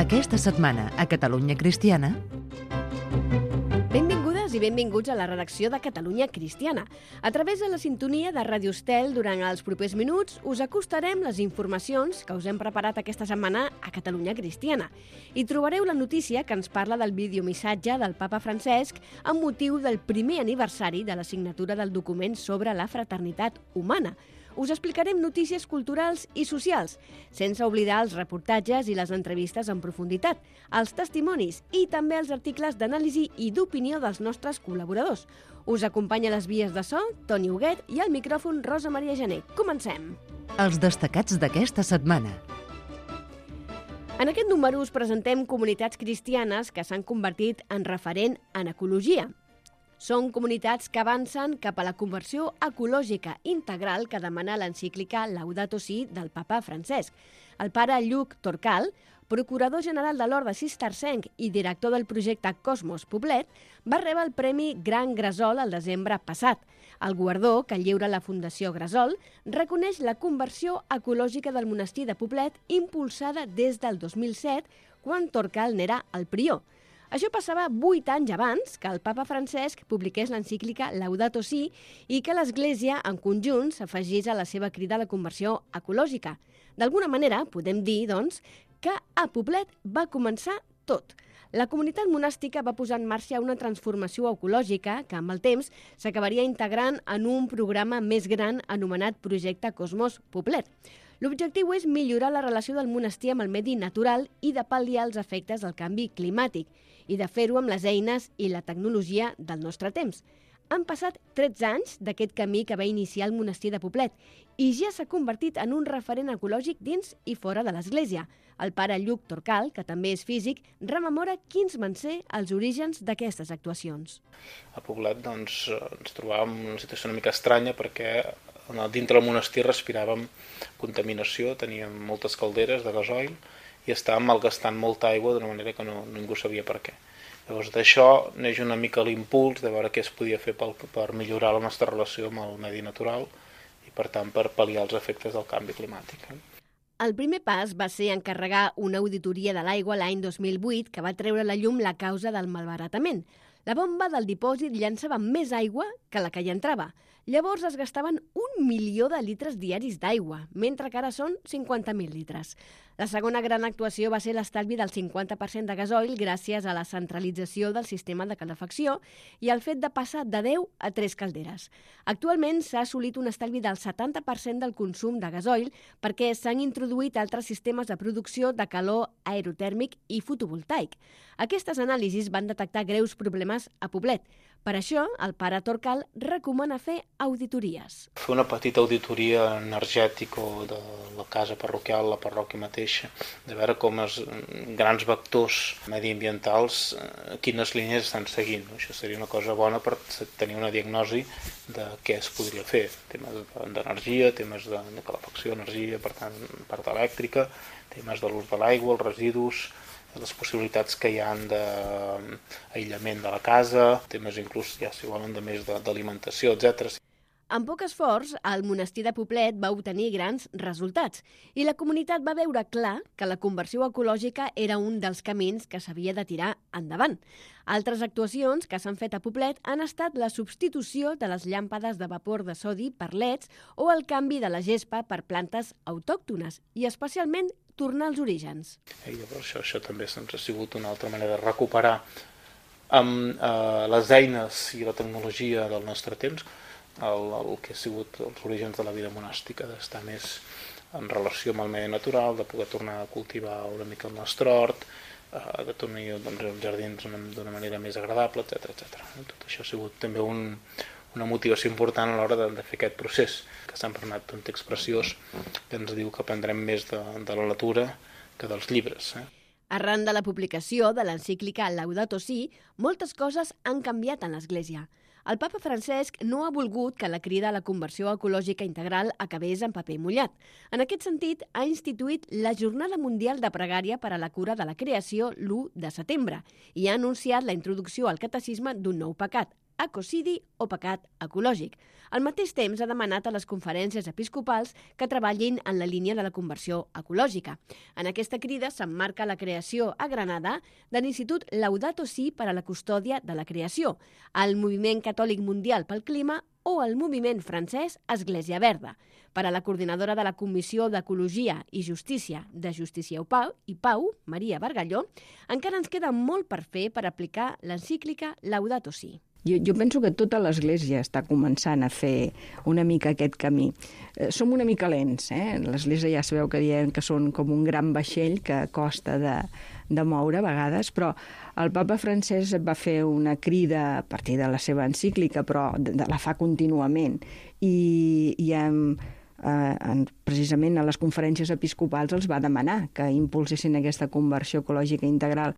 Aquesta setmana a Catalunya Cristiana... Benvingudes i benvinguts a la redacció de Catalunya Cristiana. A través de la sintonia de Ràdio Estel, durant els propers minuts, us acostarem les informacions que us hem preparat aquesta setmana a Catalunya Cristiana. I trobareu la notícia que ens parla del videomissatge del papa Francesc amb motiu del primer aniversari de la signatura del document sobre la fraternitat humana. Us explicarem notícies culturals i socials, sense oblidar els reportatges i les entrevistes en profunditat, els testimonis i també els articles d'anàlisi i d'opinió dels nostres col·laboradors. Us acompanya a les vies de so, Toni Huguet, i al micròfon Rosa Maria Gené. Comencem! Els destacats d'aquesta setmana. En aquest número us presentem comunitats cristianes que s'han convertit en referent en ecologia. Són comunitats que avancen cap a la conversió ecològica integral que demana l'encíclica Laudato Si del papa Francesc. El pare Lluc Torcal, procurador general de l'Orde Cistercenc i director del projecte Cosmos Poblet, va rebre el Premi Gran Gresol el desembre passat. El guardó, que lliura la Fundació Gresol, reconeix la conversió ecològica del monestir de Poblet impulsada des del 2007, quan Torcal n'era el prior. Això passava 8 anys abans que el papa Francesc publiqués l'encíclica Laudato Si i que l'Església, en conjunt, s'afegís a la seva crida a la conversió ecològica. D'alguna manera, podem dir, doncs, que a Poblet va començar tot. La comunitat monàstica va posar en marxa una transformació ecològica que, amb el temps, s'acabaria integrant en un programa més gran anomenat Projecte Cosmos Poblet. L'objectiu és millorar la relació del monestir amb el medi natural i de pal·liar els efectes del canvi climàtic i de fer-ho amb les eines i la tecnologia del nostre temps. Han passat 13 anys d'aquest camí que va iniciar el monestir de Poblet i ja s'ha convertit en un referent ecològic dins i fora de l'Església. El pare Lluc Torcal, que també és físic, rememora quins van ser els orígens d'aquestes actuacions. A Poblet ens trobàvem en una situació una mica estranya perquè dintre del monestir respiràvem contaminació, teníem moltes calderes de gasoil i estàvem malgastant molta aigua d'una manera que ningú sabia per què. Llavors d'això neix una mica l'impuls de veure què es podia fer per millorar la nostra relació amb el medi natural i per tant per pal·liar els efectes del canvi climàtic. El primer pas va ser encarregar una auditoria de l'aigua l'any 2008 que va treure a la llum la causa del malbaratament. La bomba del dipòsit llançava més aigua que la que hi entrava. Llavors es gastaven 1 milió de litres diaris d'aigua, mentre que ara són 50.000 litres. La segona gran actuació va ser l'estalvi del 50% de gasoil gràcies a la centralització del sistema de calefacció i al fet de passar de 10 a 3 calderes. Actualment s'ha assolit un estalvi del 70% del consum de gasoil perquè s'han introduït altres sistemes de producció de calor aerotèrmic i fotovoltaic. Aquestes anàlisis van detectar greus problemes a Poblet. Per això, el pare Torcal recomana fer auditories. Fer una petita auditoria energètica de la casa parroquial, la parròquia mateixa, de veure com els grans vectors mediambientals, quines línies estan seguint. Això seria una cosa bona per tenir una diagnosi de què es podria fer. Temes d'energia, temes de calefacció, energia, per tant, part elèctrica, temes de l'ús de l'aigua, els residus, les possibilitats que hi ha d'aïllament de la casa, temes inclús, ja si volen, de més d'alimentació, etc. Amb poc esforç, el monestir de Poblet va obtenir grans resultats i la comunitat va veure clar que la conversió ecològica era un dels camins que s'havia de tirar endavant. Altres actuacions que s'han fet a Poblet han estat la substitució de les llàmpades de vapor de sodi per leds o el canvi de la gespa per plantes autòctones i especialment tornar als orígens. I llavors això també ha sigut una altra manera de recuperar amb les eines i la tecnologia del nostre temps el que ha sigut els orígens de la vida monàstica, d'estar més en relació amb el medi natural, de poder tornar a cultivar una mica el nostre hort, de tornar als jardins d'una manera més agradable, etc. Tot això ha sigut també una motivació important a l'hora de fer aquest procés, que s'ha emprenat un text preciós que ens diu que aprendrem més de la natura que dels llibres. Arran de la publicació de l'encíclica Laudato Si, moltes coses han canviat en l'Església. El papa Francesc no ha volgut que la crida a la conversió ecològica integral acabés en paper mullat. En aquest sentit, ha instituït la Jornada Mundial de Pregària per a la Cura de la Creació l'1 de setembre i ha anunciat la introducció al catecisme d'un nou pecat, ecocidi o pecat ecològic. Al mateix temps, ha demanat a les conferències episcopals que treballin en la línia de la conversió ecològica. En aquesta crida s'emmarca la creació a Granada de l'Institut Laudato Si per a la custòdia de la creació, el Moviment Catòlic Mundial pel Clima o el moviment francès Església Verda. Per a la coordinadora de la Comissió d'Ecologia i Justícia de Justícia i Pau, Maria Bargalló, encara ens queda molt per fer per aplicar l'encíclica Laudato Si. Jo penso que tota l'Església està començant a fer una mica aquest camí. Som una mica lents, L'Església ja sabeu que diem que són com un gran vaixell que costa de moure a vegades, però el papa Francesc va fer una crida a partir de la seva encíclica, però la fa contínuament, i precisament a les conferències episcopals els va demanar que impulsessin aquesta conversió ecològica integral.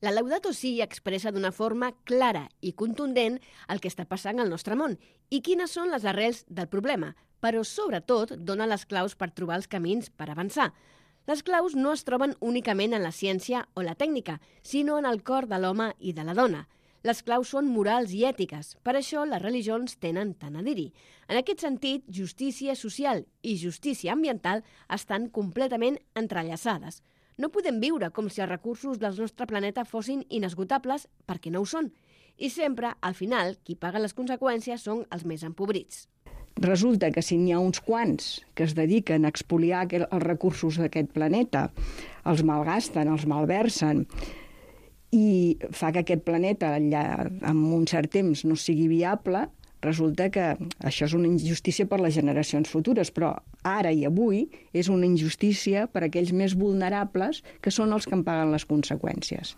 La Laudato Si expressa d'una forma clara i contundent el que està passant al nostre món i quines són les arrels del problema, però sobretot dona les claus per trobar els camins per avançar. Les claus no es troben únicament en la ciència o la tècnica, sinó en el cor de l'home i de la dona. Les claus són morals i ètiques, per això les religions tenen tant a dir-hi. En aquest sentit, justícia social i justícia ambiental estan completament entrellaçades. No podem viure com si els recursos del nostre planeta fossin inesgotables perquè no ho són. I sempre, al final, qui paga les conseqüències són els més empobrits. Resulta que si n'hi ha uns quants que es dediquen a expoliar els recursos d'aquest planeta, els malgasten, els malversen, i fa que aquest planeta en un cert temps no sigui viable, resulta que això és una injustícia per les generacions futures, però ara i avui és una injustícia per a aquells més vulnerables que són els que en paguen les conseqüències.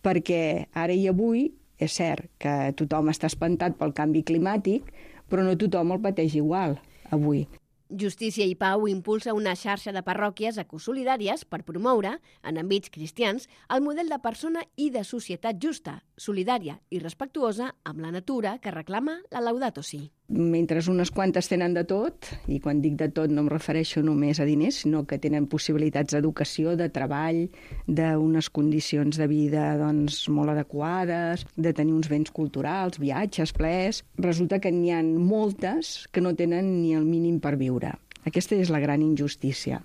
Perquè ara i avui és cert que tothom està espantat pel canvi climàtic, però no tothom el pateix igual avui. Justícia i Pau impulsa una xarxa de parròquies ecosolidàries per promoure, en àmbits cristians, el model de persona i de societat justa, solidària i respectuosa amb la natura que reclama la Laudato Si. Mentre unes quantes tenen de tot, i quan dic de tot no em refereixo només a diners, sinó que tenen possibilitats d'educació, de treball, d'unes condicions de vida molt adequades, de tenir uns béns culturals, viatges, plaers, resulta que n'hi ha moltes que no tenen ni el mínim per viure. Aquesta és la gran injustícia.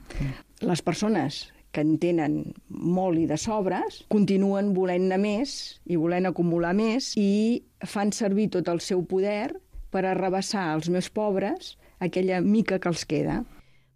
Les persones que en tenen molt i de sobres continuen volent-ne més i volent acumular més i fan servir tot el seu poder per arrabassar als més pobres aquella mica que els queda.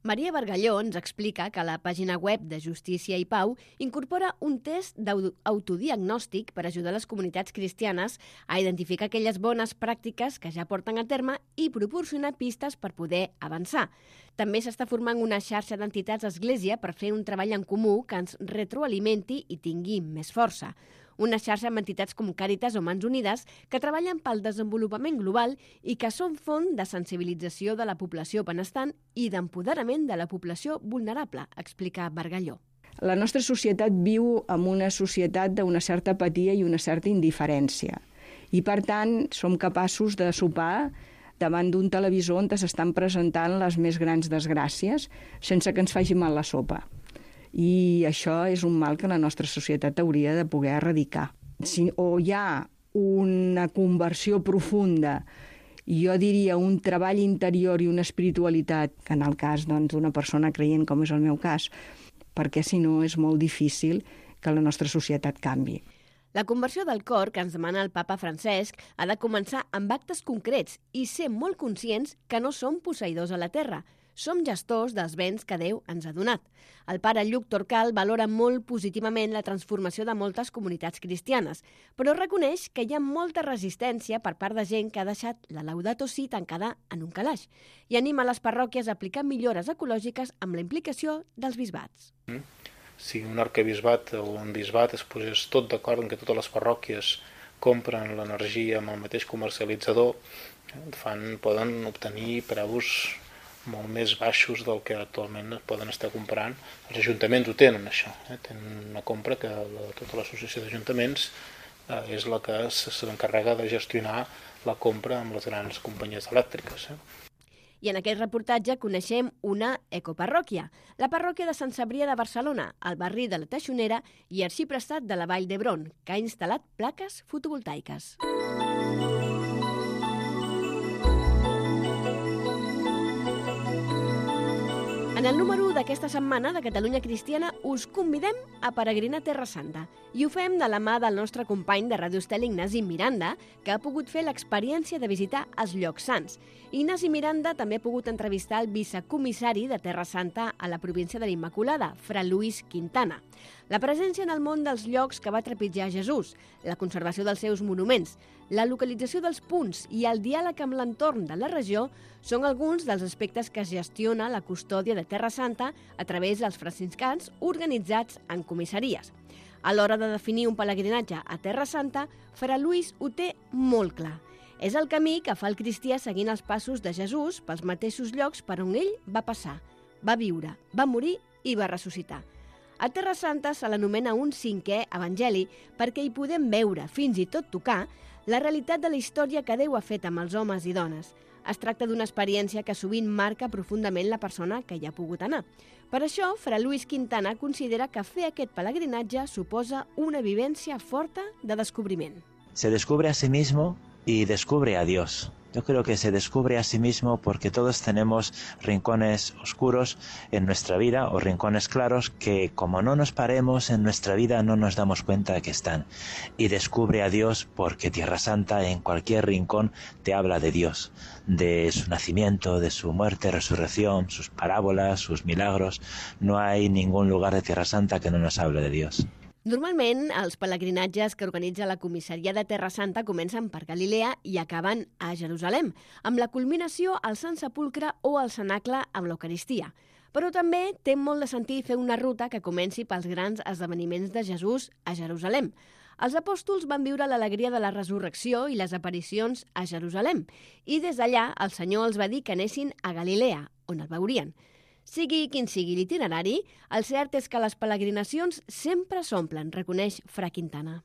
Maria Bargalló ens explica que la pàgina web de Justícia i Pau incorpora un test d'autodiagnòstic per ajudar les comunitats cristianes a identificar aquelles bones pràctiques que ja porten a terme i proporcionar pistes per poder avançar. També s'està formant una xarxa d'entitats església per fer un treball en comú que ens retroalimenti i tingui més força. Una xarxa amb entitats com Càritas o Mans Unides que treballen pel desenvolupament global i que són font de sensibilització de la població benestant i d'empoderament de la població vulnerable, explica Bargalló. La nostra societat viu en una societat d'una certa apatia i una certa indiferència. I, per tant, som capaços de sopar davant d'un televisor on s'estan presentant les més grans desgràcies sense que ens faci mal la sopa. I això és un mal que la nostra societat hauria de poder erradicar. O hi ha una conversió profunda, jo diria un treball interior i una espiritualitat, que en el cas d'una persona creient, com és el meu cas, perquè si no és molt difícil que la nostra societat canvi. La conversió del cor que ens demana el papa Francesc ha de començar amb actes concrets i ser molt conscients que no som posseïdors a la terra. Som gestors dels béns que Déu ens ha donat. El pare Lluc Torcal valora molt positivament la transformació de moltes comunitats cristianes, però reconeix que hi ha molta resistència per part de gent que ha deixat la Laudato Si tancada en un calaix i anima les parròquies a aplicar millores ecològiques amb la implicació dels bisbats. Si un arquebisbat o un bisbat es posés tot d'acord en que totes les parròquies compren l'energia amb el mateix comercialitzador, poden obtenir preus molt més baixos del que actualment poden estar comprant. Els ajuntaments ho tenen, això. Tenen una compra que tota l'associació d'ajuntaments és la que s'encarrega de gestionar la compra amb les grans companyies elèctriques. I en aquest reportatge coneixem una ecoparròquia, la parròquia de Sant Cebrià de Barcelona, al barri de la Teixonera i arxiprestat de la Vall d'Hebron, que ha instal·lat plaques fotovoltaiques. En el número 1 d'aquesta setmana de Catalunya Cristiana us convidem a peregrinar a Terra Santa i ho fem de la mà del nostre company de Ràdio Estel, Ignasi Miranda, que ha pogut fer l'experiència de visitar els llocs sants. Ignasi Miranda també ha pogut entrevistar el vicecomissari de Terra Santa a la província de l'Immaculada, Fra Luis Quintana. La presència en el món dels llocs que va trepitjar Jesús, la conservació dels seus monuments, la localització dels punts i el diàleg amb l'entorn de la regió són alguns dels aspectes que gestiona la custòdia de Terra Santa a través dels franciscans organitzats en comissaries. A l'hora de definir un pelegrinatge a Terra Santa, Fra Luis ho té molt clar. És el camí que fa el cristià seguint els passos de Jesús pels mateixos llocs per on ell va passar, va viure, va morir i va ressuscitar. A Terra Santa se l'anomena un cinquè evangeli perquè hi podem veure, fins i tot tocar, la realitat de la història que Déu ha fet amb els homes i dones. Es tracta d'una experiència que sovint marca profundament la persona que hi ha pogut anar. Per això, Fra Luis Quintana considera que fer aquest pelegrinatge suposa una vivència forta de descobriment. Se descubre a sí mismo y descubre a Dios. Yo creo que se descubre a sí mismo porque todos tenemos rincones oscuros en nuestra vida o rincones claros que como no nos paremos en nuestra vida no nos damos cuenta de que están. Y descubre a Dios porque Tierra Santa en cualquier rincón te habla de Dios, de su nacimiento, de su muerte, resurrección, sus parábolas, sus milagros. No hay ningún lugar de Tierra Santa que no nos hable de Dios. Normalment, els pelegrinatges que organitza la comissaria de Terra Santa comencen per Galilea i acaben a Jerusalem, amb la culminació al Sant Sepulcre o al Cenacle amb l'Eucaristia. Però també té molt de sentit fer una ruta que comenci pels grans esdeveniments de Jesús a Jerusalem. Els apòstols van viure l'alegria de la resurrecció i les aparicions a Jerusalem, i des d'allà el Senyor els va dir que anessin a Galilea, on el veurien. Sigui quin sigui l'itinerari, el cert és que les peregrinacions sempre s'omplen, reconeix Fra Quintana.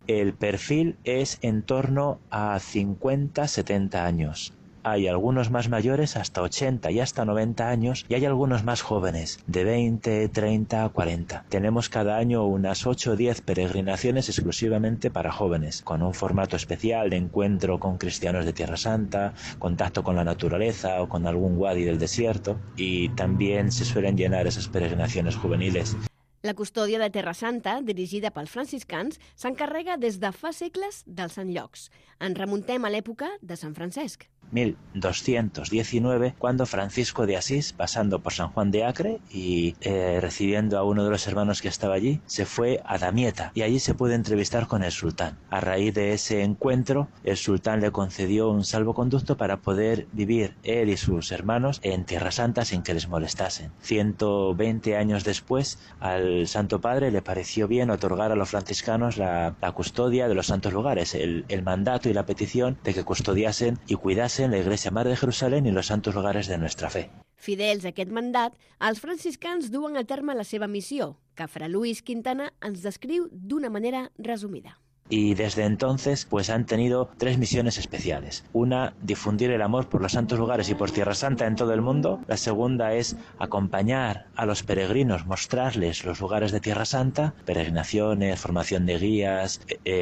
El perfil es en torno a 50-70 años. Hay algunos más mayores, hasta 80 y hasta 90 años, y hay algunos más jóvenes, de 20, 30, 40. Tenemos cada año unas 8 o 10 peregrinaciones exclusivamente para jóvenes, con un formato especial de encuentro con cristianos de Tierra Santa, contacto con la naturaleza o con algún wadi del desierto, y también se suelen llenar esas peregrinaciones juveniles. La custòdia de Terra Santa, dirigida pels franciscans, s'encarrega des de fa segles dels Sant Llocs. Ens remuntem a l'època de Sant Francesc. 1219, cuando Francisco de Asís, pasando por San Juan de Acre y recibiendo a uno de los hermanos que estaba allí, se fue a Damieta y allí se pudo entrevistar con el sultán. A raíz de ese encuentro, el sultán le concedió un salvoconducto para poder vivir él y sus hermanos en Tierra Santa sin que les molestasen. 120 años después, al Santo Padre le pareció bien otorgar a los franciscanos la custodia de los santos lugares, el mandato y la petición de que custodiasen y cuidasen la Iglesia Madre de Jerusalén y los santos lugares de nuestra fe. Fidels a aquest mandat, els franciscans duen a terme la seva missió, que Fra Luis Quintana ens descriu d'una manera resumida. Y desde entonces pues han tenido 3 misiones especiales. Una, difundir el amor por los santos lugares y por Tierra Santa en todo el mundo. La segunda es acompañar a los peregrinos, mostrarles los lugares de Tierra Santa, peregrinaciones, formación de guías,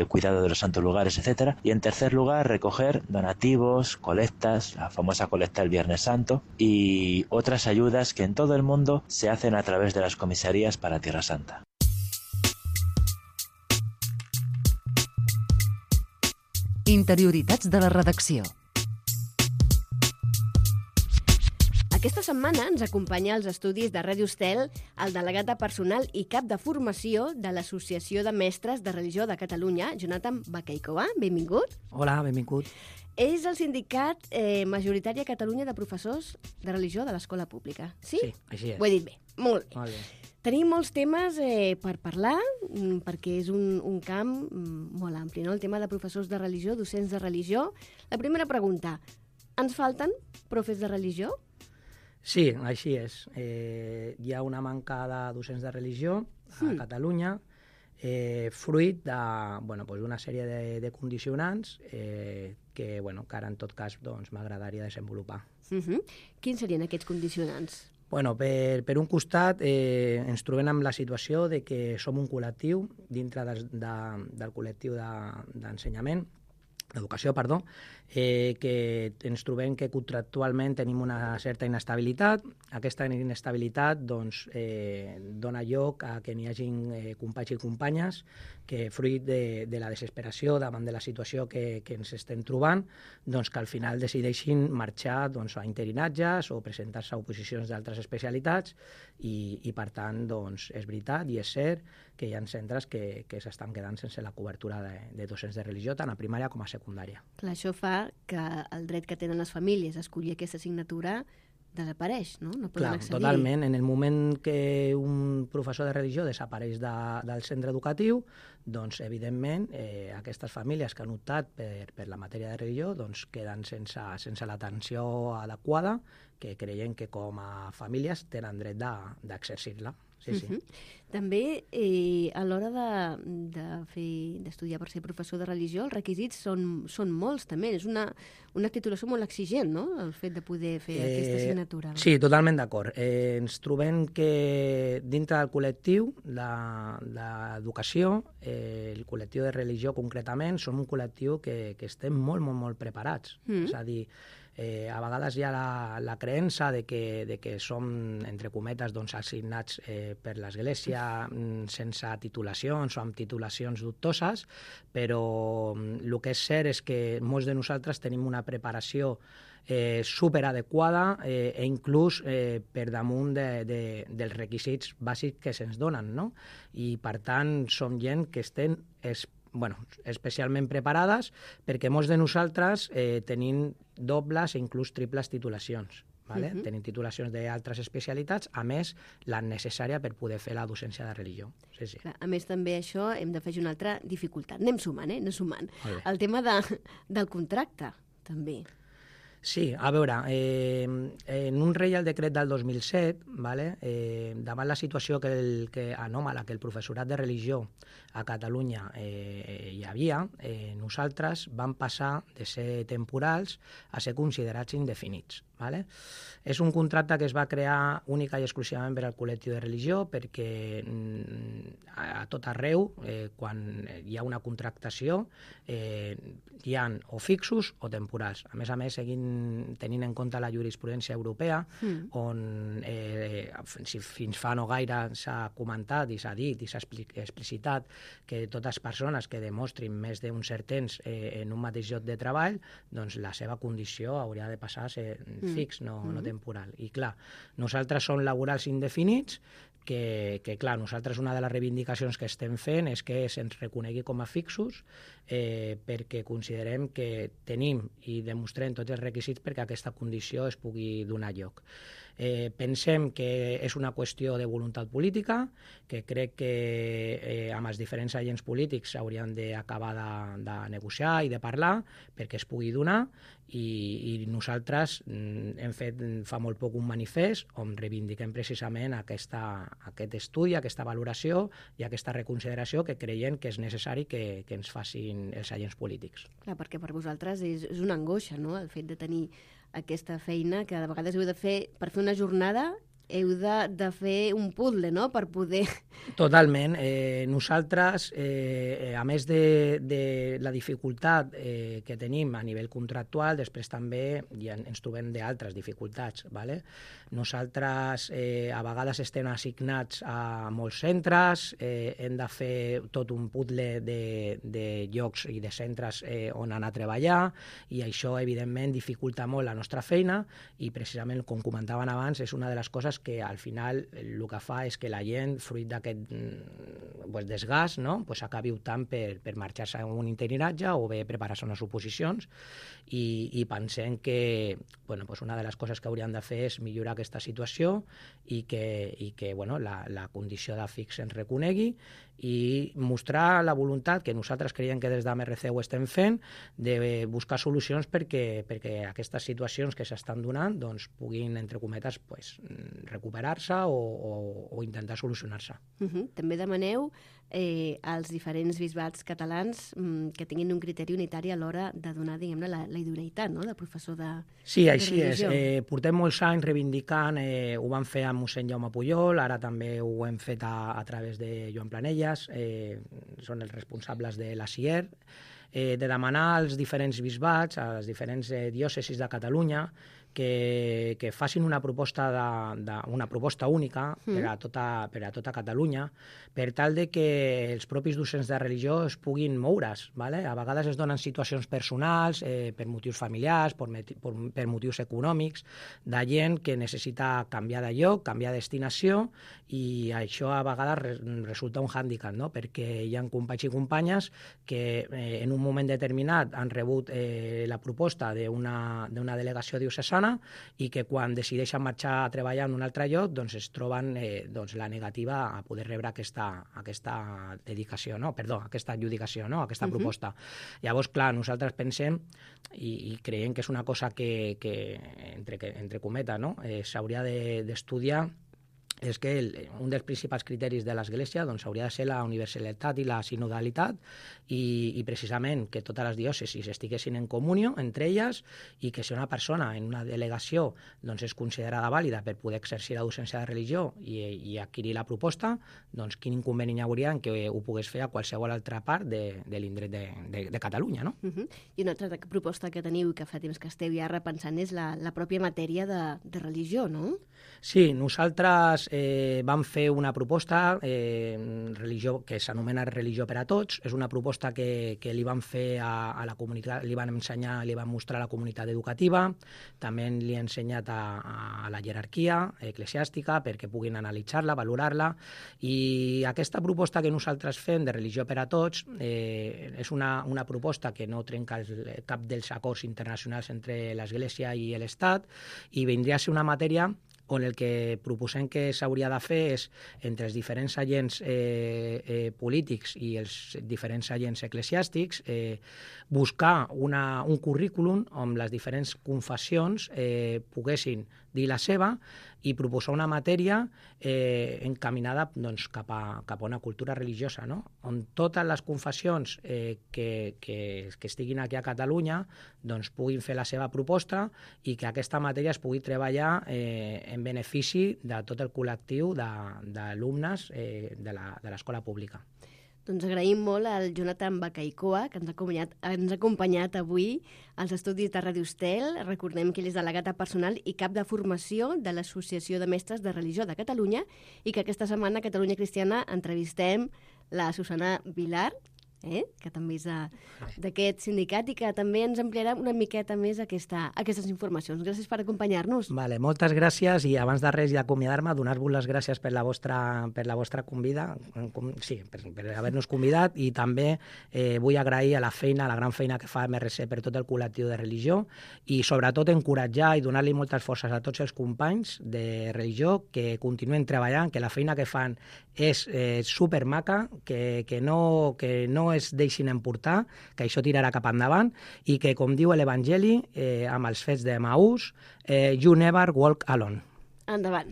cuidado de los santos lugares, etc. Y en tercer lugar, recoger donativos, colectas, la famosa colecta del Viernes Santo y otras ayudas que en todo el mundo se hacen a través de las comisarías para Tierra Santa. Interioritats de la redacció. Aquesta setmana ens acompanya als estudis de Ràdio Estel el delegat de personal i cap de formació de l'Associació de Mestres de Religió de Catalunya, Jonathan Bakeikova. Benvingut. Hola, benvingut. És el sindicat majoritari a Catalunya de professors de religió de l'escola pública. Sí? Sí, així és. Ho he dit bé. Molt bé. Molt bé. Tenim molts temes per parlar, perquè és un camp molt ampli, no? El tema de professors de religió, docents de religió. La primera pregunta, ens falten profes de religió? Sí, així és. Hi ha una manca de docents de religió a Catalunya, fruit d'una sèrie de condicionants que ara en tot cas m'agradaria desenvolupar. Quins serien aquests condicionants? Per un costat, ens trobem amb la situació de que som un col·lectiu dintre del col·lectiu d'ensenyament que ens trobem que contractualment tenim una certa inestabilitat. Aquesta inestabilitat doncs, dona lloc a que n'hi hagi companys i companyes que, fruit de la desesperació davant de la situació que ens estem trobant, doncs, que al final decideixin marxar doncs, a interinatges o presentar-se a oposicions d'altres especialitats i per tant, doncs, és veritat i és cert que hi ha centres que s'estan quedant sense la cobertura de docents de religió, tant a primària com a secundària. Clar, això fa que el dret que tenen les famílies a escollir aquesta assignatura desapareix, no? No poden accedir. Totalment. En el moment que un professor de religió desapareix del centre educatiu, doncs, evidentment, aquestes famílies que han optat per la matèria de religió doncs, queden sense l'atenció adequada que creiem que com a famílies tenen dret d'exercir-la. Sí, sí. També, a l'hora d'estudiar per ser professor de religió, els requisits són molts, també. És una titulació molt exigent, no?, el fet de poder fer aquesta assignatura. Sí, totalment d'acord. Ens trobem que dintre del col·lectiu d'educació, el col·lectiu de religió concretament, som un col·lectiu que estem molt, molt, molt preparats. És a dir, a vegades hi ha la creença de que som, entre cometes, doncs, assignats per l'Església sense titulacions o amb titulacions dubtoses, però el que és cert és que molts de nosaltres tenim una preparació superadequada inclús per damunt dels requisits bàsics que se'ns donen, no? I, per tant, som gent que estem especialment preparades perquè molts de nosaltres tenim dobles i inclús triples titulacions. Tenim titulacions d'altres especialitats, a més, la necessària per poder fer la docència de religió. Sí, sí. Clar, a més, també això hem d'afegir una altra dificultat. Anem sumant, anem sumant. El tema del contracte, també. Sí, a veure, en un Reial Decret del 2007, davant la situació anòmala que el professorat de religió a Catalunya hi havia, nosaltres vam passar de ser temporals a ser considerats indefinits. És un contracte que es va crear única i exclusivament per al col·lectiu de religió perquè a tot arreu, quan hi ha una contractació, hi ha o fixos o temporals. A més, tenint en compte la jurisprudència europea, on fins fa no gaire s'ha comentat i s'ha dit i s'ha explicitat que totes les persones que demostrin més d'un cert temps en un mateix lloc de treball, doncs la seva condició hauria de passar a ser fix, no temporal. I clar, nosaltres som laborals indefinits, que clar, nosaltres una de les reivindicacions que estem fent és que se'ns reconegui com a fixos perquè considerem que tenim i demostrem tots els requisits perquè aquesta condició es pugui donar lloc. Pensem que és una qüestió de voluntat política, que crec que amb els diferents agents polítics s'haurien d'acabar de negociar i de parlar perquè es pugui donar, i nosaltres hem fet fa molt poc un manifest on reivindiquem precisament aquest estudi, aquesta valoració i aquesta reconsideració que creiem que és necessari que ens facin els agents polítics. Clar, perquè per vosaltres és una angoixa, no?, el fet de tenir aquesta feina que de vegades heu de fer per fer una jornada, heu de fer un puzzle, no?, per poder... Totalment. Nosaltres, a més de la dificultat que tenim a nivell contractual, després també ens trobem d'altres dificultats. Nosaltres a vegades estem assignats a molts centres, hem de fer tot un puzzle de llocs i de centres on anar a treballar, i això, evidentment, dificulta molt la nostra feina, i precisament, com comentaven abans, és una de les coses que al final el que fa és que la gent, fruit d'aquest desgast, acabi optant per marxar-se a un interinatge o bé preparar-se unes oposicions, i pensem que una de les coses que hauríem de fer és millorar aquesta situació i que la condició de fix ens reconegui i mostrar la voluntat que nosaltres creiem que des d'AMRC ho estem fent de buscar solucions perquè aquestes situacions que s'estan donant puguin, entre cometes, recuperar-se o intentar solucionar-se. També demaneu als diferents bisbats catalans que tinguin un criteri unitari a l'hora de donar, diguem-ne, la idoneïtat, no?, de professor de religió. Sí, així és. Portem molts anys reivindicant, ho vam fer amb mossèn Jaume Pujol, ara també ho hem fet a través de Joan Planelles, són els responsables de la CIER. de demanar als diferents bisbats, a les diferents diòcesis de Catalunya, que facin una proposta única per a tota Catalunya, per tal de que els propis docents de religió es puguin moure's. ¿vale? A vegades es donen situacions personals, per motius familiars, per motius econòmics, de gent que necessita canviar de lloc, canviar de destinació, i això a vegades resulta un hàndicap, no? Perquè hi ha companys i companyes que en un moment determinat han rebut la proposta d'una delegació diocesana i que quan decideixen marxar a treballar en un altre lloc doncs es troben la negativa a poder rebre aquesta dedicació, no? Perdó, aquesta adjudicació, no? Aquesta proposta. Llavors, clar, nosaltres pensem i creiem que és una cosa que entre cometes, no? S'hauria d'estudiar, és que un dels principals criteris de l'Església doncs, hauria de ser la universalitat i la sinodalitat i precisament que totes les diòcesis estiguessin en comunió entre elles i que si una persona en una delegació doncs, és considerada vàlida per poder exercir la docència de religió i adquirir la proposta, doncs quin inconvenient hi hauria en que ho pogués fer a qualsevol altra part de l'indret de Catalunya, no? I una altra proposta que teniu i que fa temps que esteu ja repensant és la pròpia matèria de religió, no? Sí, nosaltres vam fer una proposta religió que s'anomena Religió per a Tots. És una proposta que li vam fer a la comunitat, li vam ensenyar, li vam mostrar a la comunitat educativa, també li he ensenyat a la jerarquia eclesiàstica perquè puguin analitzar-la, valorar-la, i aquesta proposta que nosaltres fem de Religió per a Tots és una proposta que no trenca cap dels acords internacionals entre l'Església i l'Estat i vindria a ser una matèria on el que proposem que s'hauria de fer és, entre els diferents agents polítics i els diferents agents eclesiàstics, buscar un currículum on les diferents confessions poguessin dir la seva i proposar una matèria encaminada doncs, cap a una cultura religiosa, no? On totes les confessions que estiguin aquí a Catalunya doncs, puguin fer la seva proposta i que aquesta matèria es pugui treballar en benefici de tot el col·lectiu d'alumnes de l'escola pública. Doncs agraïm molt al Jonathan Bacaicoa, que ens ha acompanyat avui als estudis de Ràdio Estel. Recordem que ell és delegat personal i cap de formació de l'Associació de Mestres de Religió de Catalunya i que aquesta setmana a Catalunya Cristiana entrevistem la Susana Vilar, que també és d'aquest sindicat i que també ens ampliarà una miqueta més aquestes informacions. Gràcies per acompanyar-nos. Vale, moltes gràcies i abans de res i d'acomiadar-me, donar-vos les gràcies per la vostra convida, per haver-nos convidat, i també vull agrair a la gran feina que fa MRC per tot el col·lectiu de religió i sobretot encoratjar i donar-li moltes forces a tots els companys de religió que continuen treballant, que la feina que fan és supermaca, que no es deixin emportar, que això tirarà cap endavant i que, com diu l'Evangeli, amb els fets de Maús, you never walk alone. Endavant.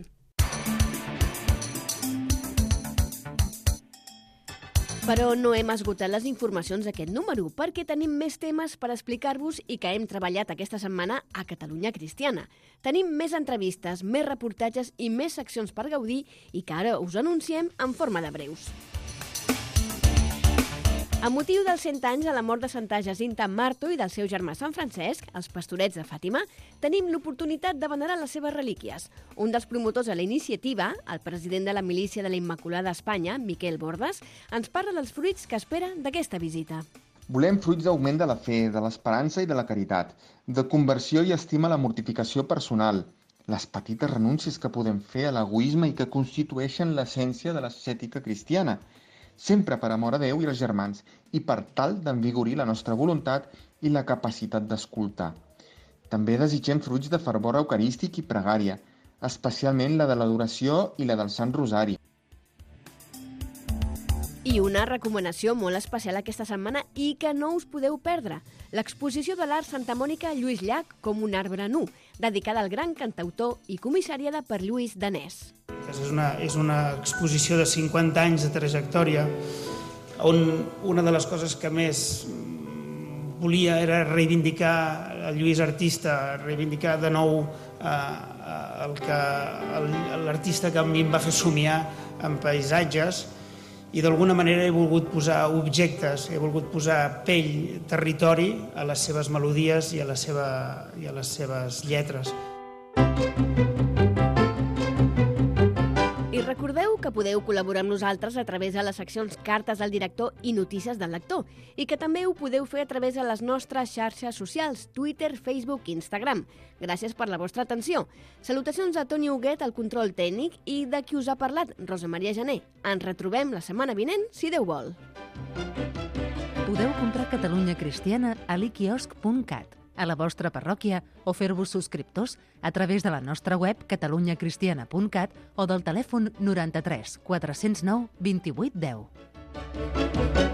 Però no hem esgotat les informacions d'aquest número, perquè tenim més temes per explicar-vos i que hem treballat aquesta setmana a Catalunya Cristiana. Tenim més entrevistes, més reportatges i més seccions per gaudir i que ara us anunciem en forma de breus. Amb motiu dels 100 anys de la mort de Santa Jacinta Marto i del seu germà Sant Francesc, els pastorets de Fàtima, tenim l'oportunitat de venerar les seves relíquies. Un dels promotors de la iniciativa, el president de la Milícia de la Immaculada a Espanya, Miquel Bordes, ens parla dels fruits que espera d'aquesta visita. Volem fruits d'augment de la fe, de l'esperança i de la caritat, de conversió i estima a la mortificació personal, les petites renúncies que podem fer a l'egoisme i que constitueixen l'essència de l'ascètica cristiana, sempre per amor a Déu i als germans i per tal d'envigorir la nostra voluntat i la capacitat d'escoltar. També desitgem fruits de fervor eucarístic i pregària, especialment la de l'adoració i la del Sant Rosari. I una recomanació molt especial aquesta setmana i que no us podeu perdre. L'exposició de l'art Santa Mònica Lluís Llach com un arbre nu, dedicada al gran cantautor i comissariada per Lluís Danès. És una exposició de 50 anys de trajectòria on una de les coses que més volia era reivindicar el Lluís artista, reivindicar de nou l'artista que a mi em va fer somiar en paisatges i d'alguna manera he volgut posar objectes, he volgut posar pell, territori a les seves melodies i a les seves lletres. I recordeu que podeu col·laborar amb nosaltres a través de les seccions Cartes al director i Notícies del lector i que també ho podeu fer a través de les nostres xarxes socials, Twitter, Facebook i Instagram. Gràcies per la vostra atenció. Salutacions a Toni Huguet, al control tècnic, i de qui us ha parlat, Rosa Maria Gené. Ens retrobem la setmana vinent, si Déu vol. Podeu comprar Catalunya Cristiana a l'iquiosc.cat, a la vostra parròquia, o fer-vos subscriptors a través de la nostra web catalunyacristiana.cat o del telèfon 93 409 28 10.